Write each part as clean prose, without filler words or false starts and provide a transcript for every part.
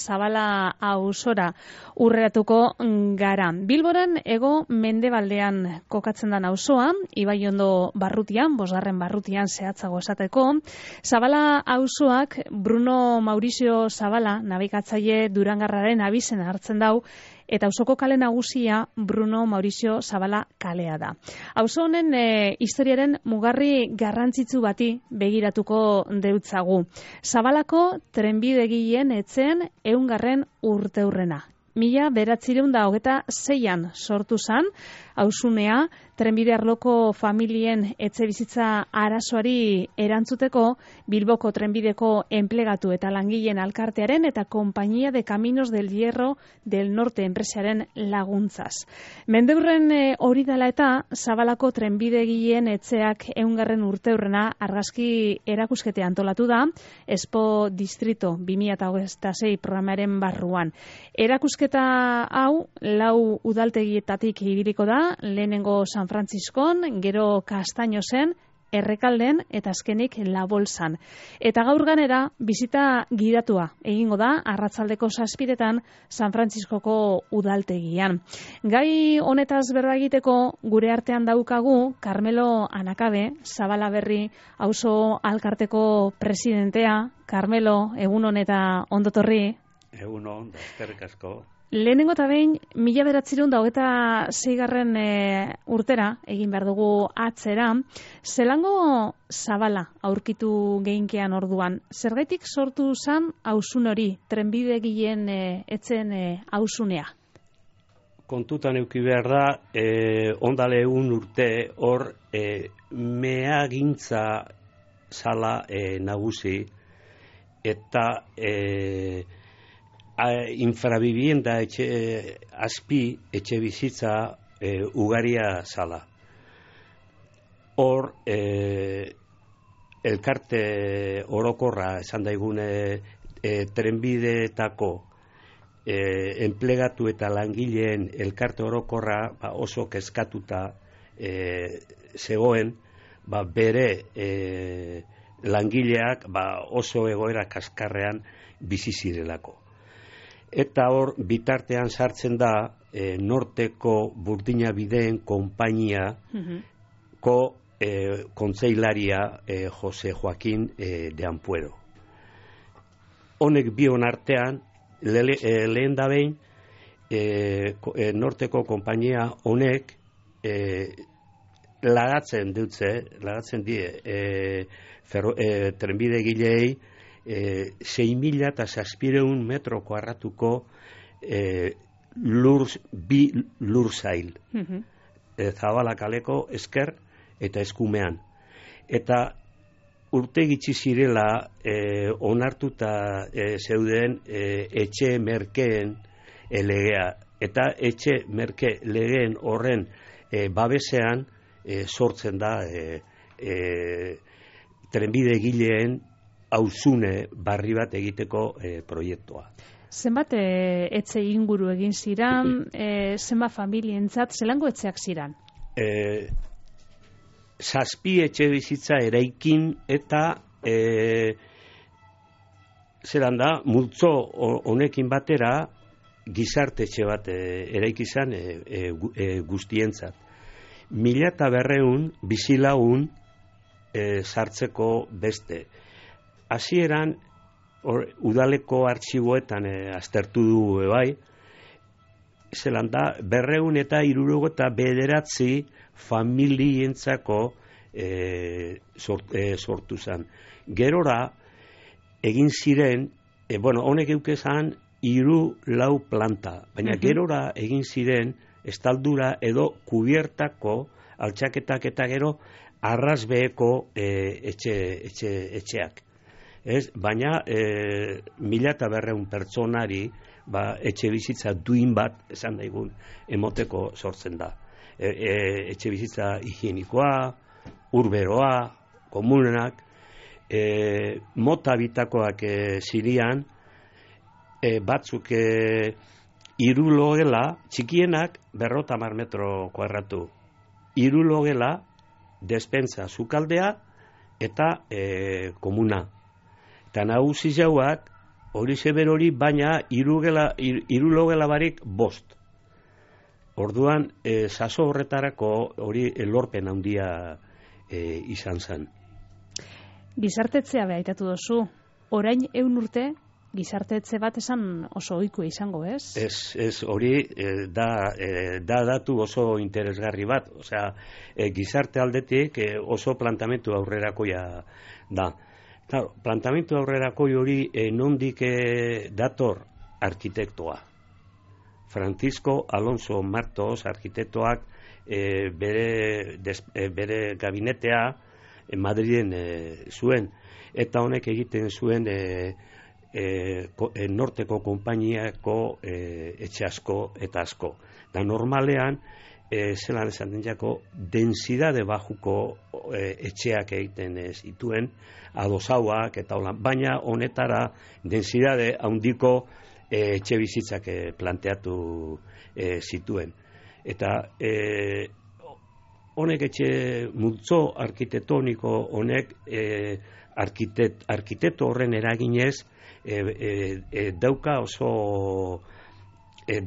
Zabala auzora urreatuko gara. Bilboren hego mendebaldean kokatzen da auzoa, Ibaiondo barrutian, 5. barrutian zehatzago esateko. Zabala auzoak Bruno Maurizio Zabala nabigatzaile Durangarraren abizena hartzen dau, eta auzoko kale nagusia Bruno Maurizio Zabala kalea da. Auzo honen historiaren mugarri garrantzitsu bati begiratuko deutzagu. Zabalako trenbidegileen etzen 100. urteurrena. 1926an sortu zan, auzunea trenbide arloko familien etxebizitza arazoari erantzuteko Bilboko trenbideko enplegatu eta langileen alkartearen eta Compañía de Caminos del Hierro del Norte enpresaren laguntzaz. Mendeurren hori dela eta Zabalako trenbidegileen etxeak 100. urteurrena argazki erakuskete antolatu da Expo Distrito 2026 programaren barruan. Erakusketa hau 4 udaltegietatik ibiliko da, lehenengo San Frantziskon, gero Kastainozen, Errekalden eta azkenik La Bolsan. Eta gaur ganera bizita gidatua egingo da arratsaldeko 7:00 San Frantziskoko udaltegian. Gai honetaz berba egiteko gure artean daukagu Carmelo Anakabe, Zabala Berri auzo alkarteko presidentea. Carmelo, egunon eta ondotorri. Egunon, eskerrik asko. Lehenengo eta behin, 1926 urtera, egin behar dugu atzera, zelango Zabala aurkitu geinkean orduan. Zergaitik sortu zan auzun hori, trenbidegileen etzen auzunea? Kontutan euki behar da, ondale 1 urte hor meagintza zala nagusi, eta infravivienda azpi etxe bizitza ugaria zala. Hor elkarte orokorra esan daigune trenbideetako enplegatu eta langileen elkarte orokorra oso kezkatuta zegoen, bere langileak oso egoera kaskarrean bizi zirelako. Eta hor, bitartean sartzen da Norteko Burdina Bideen konpainiako kontseilaria Jose Joaquín de Ampuero. Honek bion artean, lehen da behin, Norteko konpainia honek lagatzen die trenbidegilei 6.700 metro kuadratuko lursail. Zabala kaleko esker eta eskumean. Eta urte gitxi zirela onartuta zeuden etxe merkeen legea. Eta etxe merke legeen horren babesean sortzen da trenbidegileen auzune barri bat egiteko proiektua. Zenbat etxe inguru egin ziran, zenbat familientzat, zelango etxeak ziran? 7 etxe bizitza eraikin eta zelan da, multzo honekin batera gizarte etxe bat eraiki izan guztientzat. 1.200 bizilagun sartzeko beste. Hasieran udaleko artxiboetan aztertu du bai, zelan da, 269 familientzako sortu zen. Gerora, egin ziren, honek eukezan 3-4 planta, baina gerora egin ziren estaldura edo kubiertako altxaketak eta gero arrazbeeko etxeak. Baina 1.200 pertsonari etxe bizitza duin bat esan daigun emoteko sortzen da. Etxe bizitza higienikoa, urberoa, komunenak, mota bitakoak zirian, batzuk 3 logela, txikienak 50 metro kuadratu. 3 logela, despensa sukaldea eta komuna. Eta nagusi jauak hori zeber hori, baina irulogela barik 5. Orduan, saso horretarako hori lorpen handia izan zen. Gizartetzea behaitatu dozu. Orain 100 urte, gizartetze bat esan oso ohikoa izango, ez? Ez, hori da datu oso interesgarri bat. Osea, gizarte aldetik oso plantamentu aurrerakoia da. Claro, plantamentu aurrerakoi hori nondik dator arkitektoa. Francisco Alonso Martos arkitektoak bere gabinetea Madriden zuen, eta honek egiten zuen norteko konpainiako etxe asko eta asko. Da normalean, zelan esan den jako, densidade bajuko etxeak egiten zituen, adosauak eta holan, baina honetara densidade handiko etxe bizitzak planteatu zituen. Eta honek etxe multzo arkitektoniko honek arkitekto horren eraginez dauka oso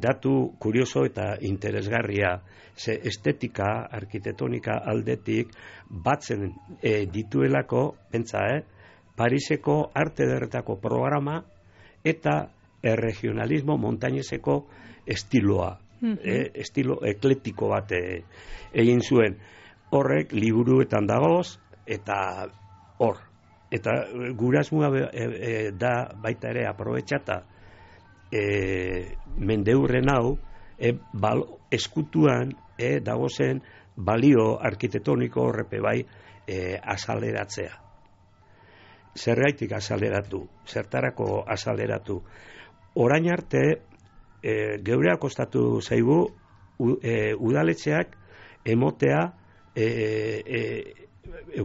datu kurioso eta interesgarria. Ze estetika arkitektonika aldetik batzen dituelako, pentsa, Pariseko arte ederretako programa eta regionalismo montaineseko estiloa. Estilo eklektiko bat egin zuen. Horrek liburuetan dagoz, eta hor. Eta gurasmua da baita ere aprobetxata mendeurren hau eskutuan dagozen balio arkitektoniko horrepe bai azaleratzea. Zergaitik azaleratu, zertarako azaleratu. Orain arte, geurea kostatu zaigu udaletxeak emotea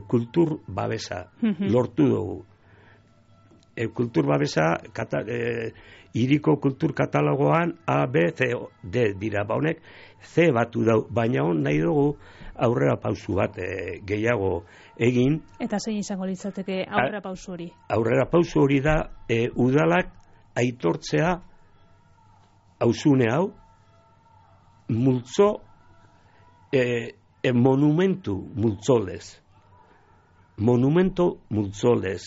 kultur babesa lortu dugu. Kultur babesa hiriko kultur katalogoan A, B, C, D dira, honek C batu dau, baina hon nahi dugu aurrera pausu bat gehiago egin. Eta zein izango litzateke aurrera pausu hori? Aurrera pausu hori da udalak aitortzea auzune hau multzo monumentu multzolez. Monumento multzolez.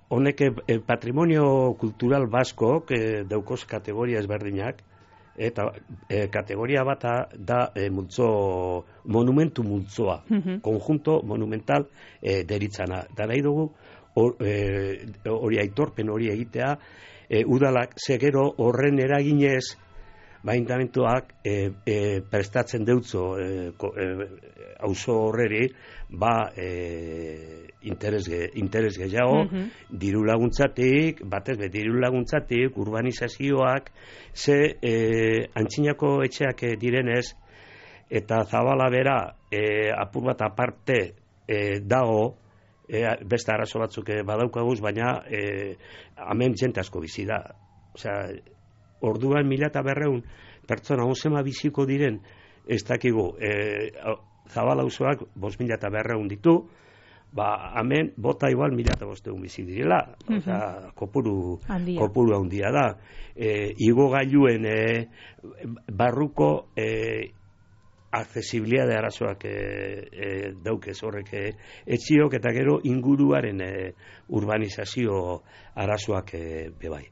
Honek patrimonio kultural basko daukoz kategoria ezberdinak, eta kategoria bata da monumentu multzoa, konjunto monumental deritzana. Da nahi dugu hori aitorpen hori egitea, udalak segero horren eraginez baintamentuak prestatzen deutzo auzo horreri interes gehiago, diru laguntzatik, urbanizazioak, ze antzinako etxeak direnez, eta Zabala bera apur bat aparte dago, beste arazo batzuk badaukaguz, baina hemen jente asko bizi da. Osea, orduan 1200 pertsona onzema biziko diren, ez dakigu, Zabala auzoak 5200 ditu, hemen bota igual 1500 bizi direla, osea, kopuru handia da. Igo gailuen barruko accesibilidade arazoak daukez horrek etxiok, eta gero inguruaren urbanizazio arazoak bebai.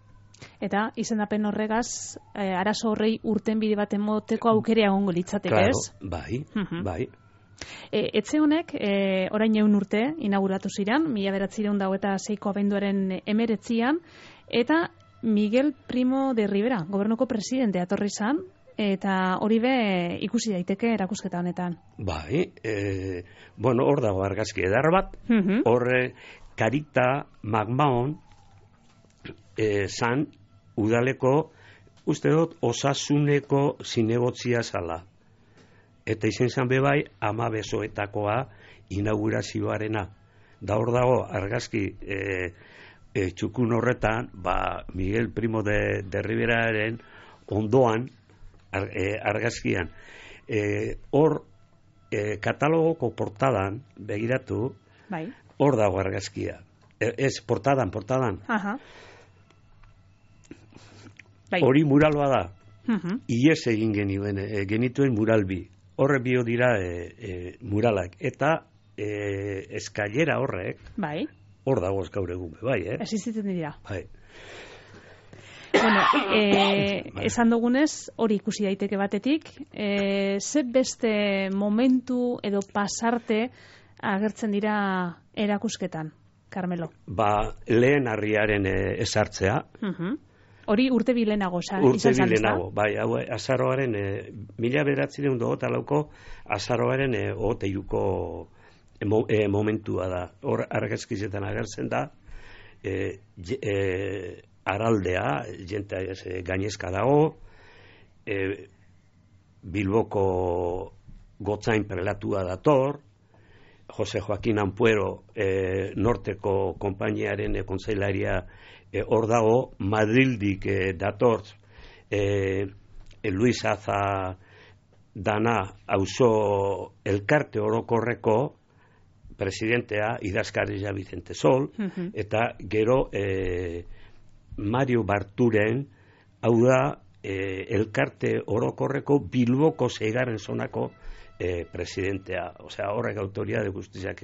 Eta izendapen horregaz, arazo horrei urtenbide bat emoteko aukera egongo litzateke, ez? Bai. Etxe honek, orain 100 urte inauguratu ziren, 1926ko abenduaren 19, eta Miguel Primo de Rivera, gobernuko presidente atorri zan, eta hori be ikusi daiteke erakusketa honetan. Bai, hor dago argazki edar bat, horre Karita Magmaon zan udaleko, uste dut, osasuneko zinegotzia zala. Eta izen zan bebai, ama besoetakoa inaugurazioarena. Da hor dago argazki txukun horretan, Miguel Primo de Riveraren ondoan argazkian. Hor katalogoko portadan begiratu, hor dago argazkia. Ez, portadan. Aha. Bai. Hori muraloa da. Ies egin genituen mural bi. Horre bio dira muralak. Eta eskailera horrek, bai. Hor dagoz gaur egun, bai, Existitzen dira. Bai. Bueno, esan dugunez, hori ikusi daiteke batetik, ze beste momentu edo pasarte agertzen dira erakusketan, Carmelo? Lehen harriaren esartzea. Hori urte bilenago izan zen, Urte bilenago, bai, azaroaren, 1924 azaroaren oteiuko momentua da. Hor argazkizetan agertzen da, araldea, jente gainezka dago, Bilboko gotzain prelatua dator, Jose Joaquin Ampuero norteko konpainiaren kontseilaria hor dago, Madrildik dator Luis Aza dana auzo elkarte orokorreko presidentea idazkaria Vicente Sol, eta gero Mario Barturen, hau da elkarte orokorreko Bilboko 6. zonako presidentea. Osea, horrek autoridade guztiak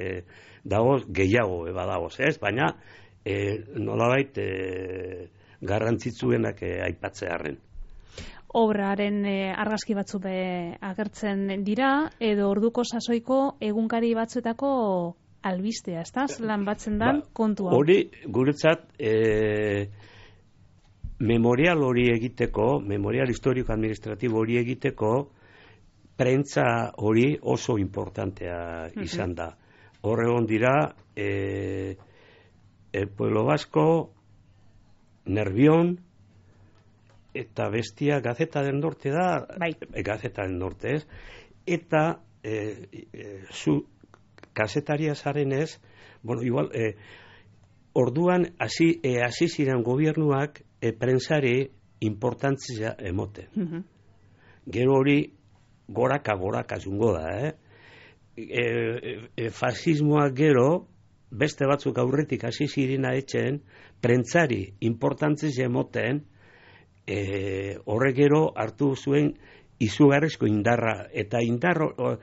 dagoz, gehiago badagoz, ez? Baina nolabait garrantzitsuenak aipatzearren. Obraren argazki batzu agertzen dira, edo orduko sasoiko egunkari batzuetako albistea, ezta? Lan batzen dan kontua. Hori, guretzat, memorial hori egiteko, memorial historiko administratibo hori egiteko, prentza hori oso importantea izan da. Horregon dira, El Pueblo Vasco, Nervión, eta bestia Gazeta del Norte da, bai. Gazeta del Norte ez, eta zu kazetaria zarenez, bueno, igual, orduan hasi ziren gobernuak prentsari importantzia emote. Gero hori goraka jungo da, fasismoak gero, beste batzuk aurretik hasi zirena etxen, prentsari importantzia emoten, horre gero hartu zuen izugarrizko indarra, eta indarro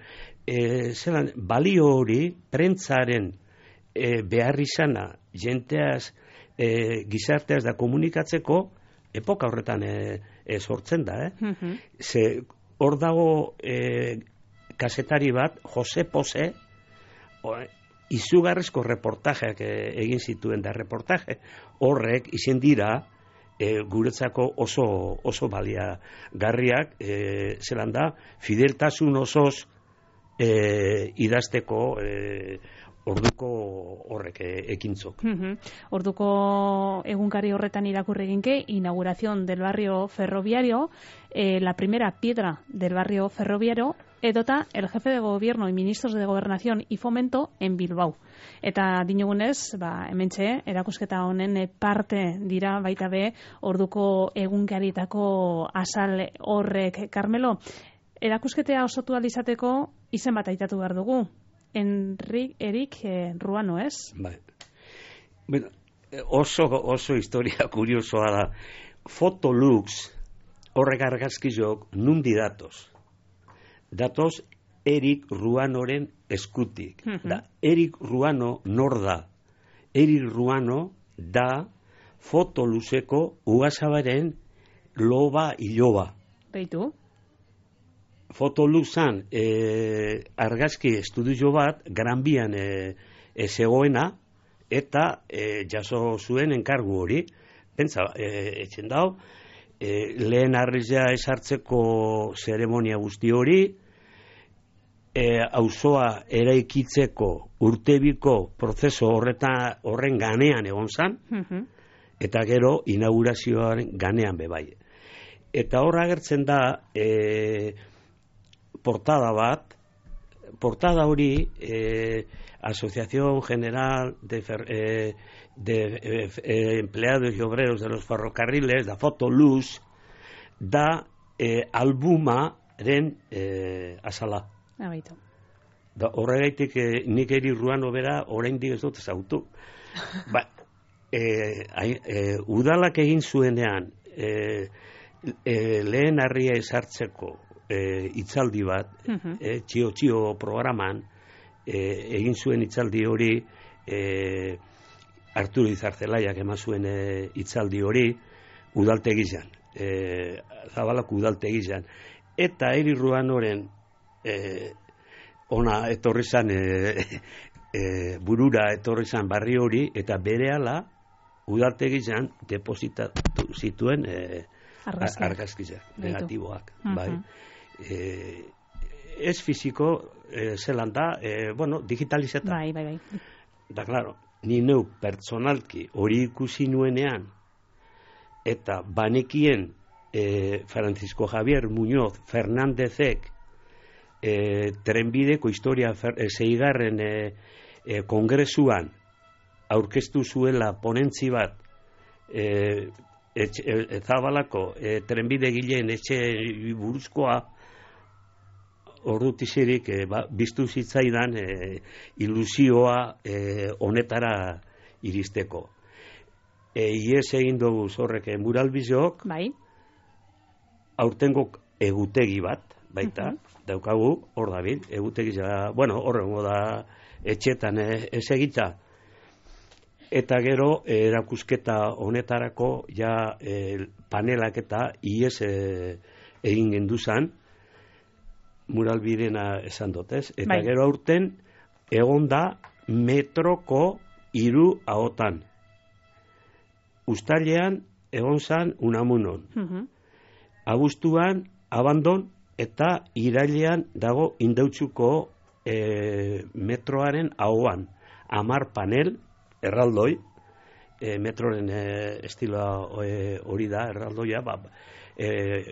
zelan, balio hori prentsaren behar izana jenteaz, gizarteaz da komunikatzeko epoka horretan sortzen da, ze hor dago kazetari bat, Jose Pose, izugarrizko reportajeak egin zituen da, reportaje horrek izen dira guretzako oso baliagarriak, zelan da, fideltasun osoz idazteko orduko horrek ekintzok. Orduko egunkari horretan irakurri ginke, inauguración del barrio ferroviario, la primera piedra del barrio ferroviario, edota el jefe de gobierno y ministros de gobernación y fomento en Bilbao. Eta dinogunez, hementxe, erakusketa honen parte dira baita be, orduko egunkaritako azal horrek. Carmelo, erakusketea osotu alizateko izen bat aitatu behar dugu. Erik Ruano, ez? Bai. Bueno, oso historia kuriosoa da. Fotolux horrek argazkizok nundi datoz. Datoz Erik Ruanoren eskutik. Da, Erik Ruano nor da? Erik Ruano da Fotoluxeko Ugazabaren loba iloba. Beitu? Fotoluxan argazki estudio bat Granbian zegoena, eta jaso zuen enkargu hori. Pentsa, etxen dau, lehen arrizia esartzeko zeremonia guzti hori, auzoa eraikitzeko urtebiko prozeso horren ganean egon zan, eta gero inaugurazioaren ganean bebai. Eta hor agertzen da portada hori Asociación General de Empleados y Obreros de los Ferrocarriles, da Fotolux, da albumaren azala. Abaitu. Horregaitik nik Erik Ruano bera oraindik ez dut ezautu. Udalak egin zuenean, lehen harria esartzeko hitzaldi bat, txio programan, egin zuen hitzaldi hori, Arturo Izarzelaiak eman zuen hitzaldi hori, udaltegizan, Zabalako udaltegizan. Eta Eri Ruanoren ona etorri zan, burura etorri zan barri hori, eta berehala udaltegizan depositatu zituen argazkizak, negatiboak. Bai. Ez fiziko, zelan da, digitalizeta. Bai. Da, claro, ni neu pertsonalki hori ikusi nuenean, eta banekien Francisco Javier Muñoz Fernándezek trenbideko historia zeigarren kongresuan aurkeztu zuela ponentzi bat Zabalako trenbide gileen etxe buruzkoa, ordutizirik biztu zitzaidan ilusioa honetara iristeko. Ies egin dugu zorrek muralbizok, bai. Aurtengo egutegi bat, baita, daukagu, hor dabil, egutegi, horrengo da etxetan ez egita. Eta gero, erakusketa honetarako, panelak eta ies egin genduzan, muralbidena esan dotez. Eta gero aurten, egon da metroko 3 ahotan. Uztailean egon zan Unamunon. Abuztuan Abandon eta irailean dago Indautxuko metroaren ahoan. 10 panel, erraldoi, metroren estiloa hori da, erraldoia,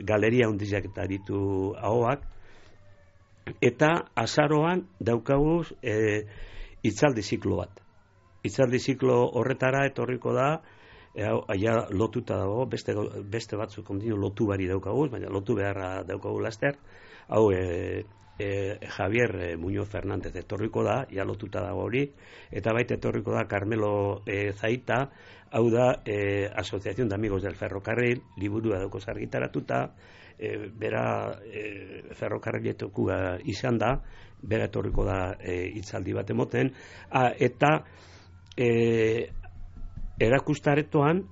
galeria hundizak eta ditu ahoak. Eta azaroan daukaguz hitzaldi ziklo bat. Hitzaldi ziklo horretara etorriko da, lotuta dago, beste batzuk ondino lotu bari daukaguz, baina lotu beharra daukagu laster. Hau, Javier Muñoz Fernández etorriko da, lotuta dago hori, eta baita etorriko da Carmelo Zaita, hau da Asociación de Amigos del Ferrocarril, liburua dauko argitaratuta, bera ferrokarriletuko izan da, bera etorriko da hitzaldi bat emoten, eta erakustaretoan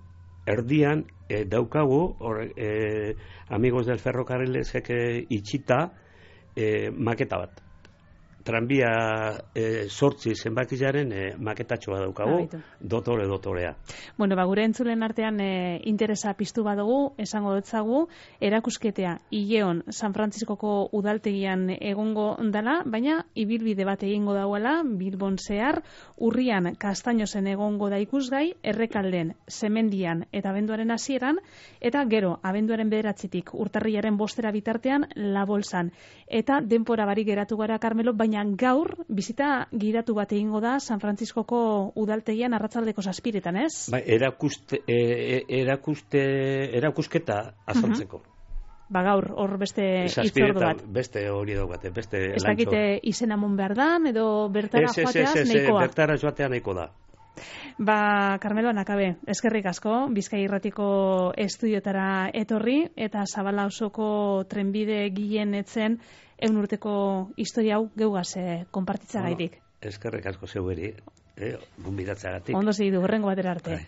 erdian daukagu Amigos del Ferrocarrilesek itxita maketa bat. Tranbia 8 zenbakizaren maketatxoa daukagu, dotorea. Bueno, gure entzulen artean interesa piztu badugu, esango dutzagu, erakusketea Ileon San Frantziskoko udaltegian egongo dela, baina ibilbide bat egingo dauela, Bilbon zehar, urrian Kastainozen egongo da ikusgai, Errekalden, Semendian eta abenduaren hasieran, eta gero, abenduaren 9 urtarrilaren 5 bitartean, La Bolsan. Eta denpora barik geratu gara, Carmelo, baina gaur bizita gidatu bat egingo da San Frantziskoko udaltegian arratsaldeko 7:00, ez? Bai, erakusketa azaltzeko. Gaur hor beste hitzordu bat. Beste hori daukate, beste lantxo. Ez dakite izena mon behar dan, edo bertara joateaz nahikoa. Bertara joatea nahiko da. Carmelo Nakabe, eskerrik asko, Bizkai Irratiko estudiotara etorri, eta Zabala osoko trenbide gilen etzen 100 urteko historia hau geugaz konpartitza gaitik. Eskerrik asko zeueri, gonbidatzagatik. Ondo segidu, horrengo batera arte.